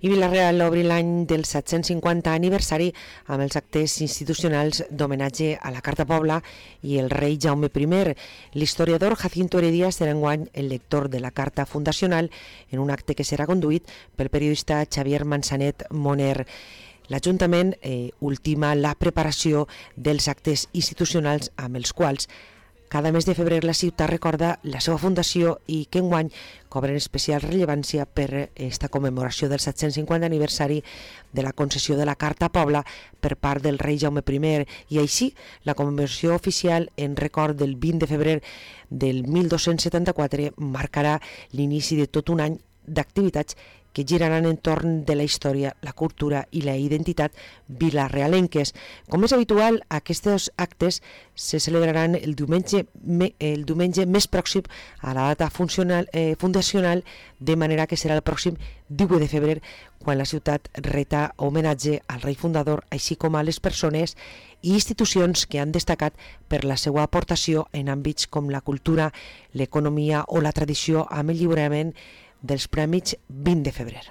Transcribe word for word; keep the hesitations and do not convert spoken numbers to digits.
I Vila-real obri l'any del set-cents cinquanta aniversari amb els actes institucionals d'homenatge a la Carta Pobla i el rei Jaume primer. L'historiador Jacinto Heredia serà enguany el lector de la Carta Fundacional en un acte que serà conduït pel periodista Xavier Manzanet Moner. L'Ajuntament eh, ultima la preparació dels actes institucionals amb els quals cada mes de febrer la ciutat recorda la seva fundació i que enguany cobren especial rellevància per esta commemoració del set-cents cinquanta aniversari de la concessió de la Carta Pobla per part del rei Jaume primer i així la commemoració oficial en record del vint de febrer del mil dos-cents setanta-quatre marcarà l'inici de tot un any d'activitats que giraran entorn de la història, la cultura i la identitat vilarealenques. Com és habitual, aquests actes se celebraran el diumenge, el diumenge més pròxim a la data funcional, eh, fundacional, de manera que serà el pròxim divuit de febrer, quan la ciutat reta homenatge al rei fundador, així com a les persones i institucions que han destacat per la seva aportació en àmbits com la cultura, l'economia o la tradició amb el lliurament dels Premis vint de febrer.